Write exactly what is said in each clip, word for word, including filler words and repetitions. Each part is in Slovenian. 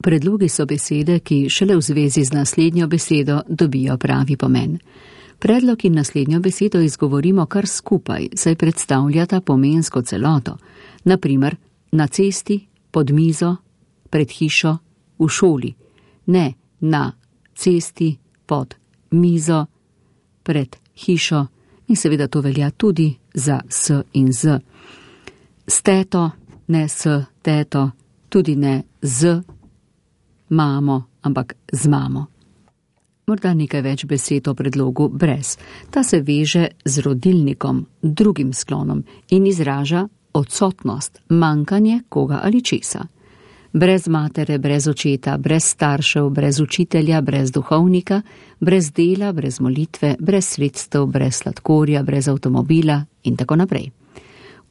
Predlogi so besede, ki šele v zvezi z naslednjo besedo dobijo pravi pomen. Predlog in naslednjo besedo izgovorimo kar skupaj, saj predstavljata pomensko celoto. Naprimer, na cesti, pod mizo, pred hišo, v šoli. Ne na cesti, pod mizo, pred hišo in seveda to velja tudi za s in z. S teto, ne s teto, tudi ne z mamo, ampak z mamo. Morda nekaj več besed o predlogu brez. Ta se veže z rodilnikom, drugim sklonom in izraža odsotnost, manjkanje koga ali česa. Brez matere, brez očeta, brez staršev, brez učitelja, brez duhovnika, brez dela, brez molitve, brez sredstev, brez sladkorja, brez avtomobila in tako naprej.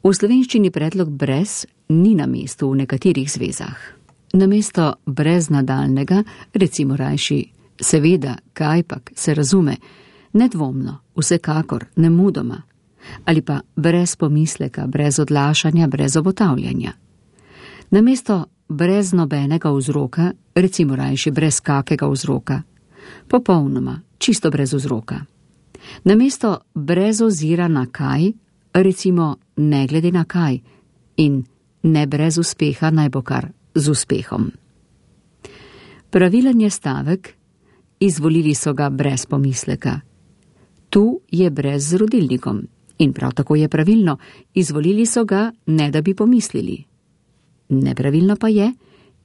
V slovenščini predlog brez ni na mestu v nekaterih zvezah. Namesto brez nadaljnega, recimo rajši seveda, kajpak, se razume, nedvomno, vsekakor, nemudoma, ali pa brez pomisleka, brez odlašanja, brez obotavljanja. Namesto brez nobenega vzroka, recimo rajši brez kakega vzroka, popolnoma, čisto brez vzroka. Namesto brez ozira na kaj, recimo ne glede na kaj in ne brez uspeha naj bo kar z uspehom. Pravilen je stavek, izvolili so ga brez pomisleka. Tu je brez z rodilnikom in prav tako je pravilno, izvolili so ga ne da bi pomislili. Nepravilno pa je,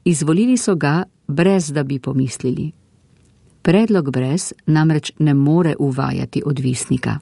izvolili so ga brez da bi pomislili. Predlog brez namreč ne more uvajati odvisnika.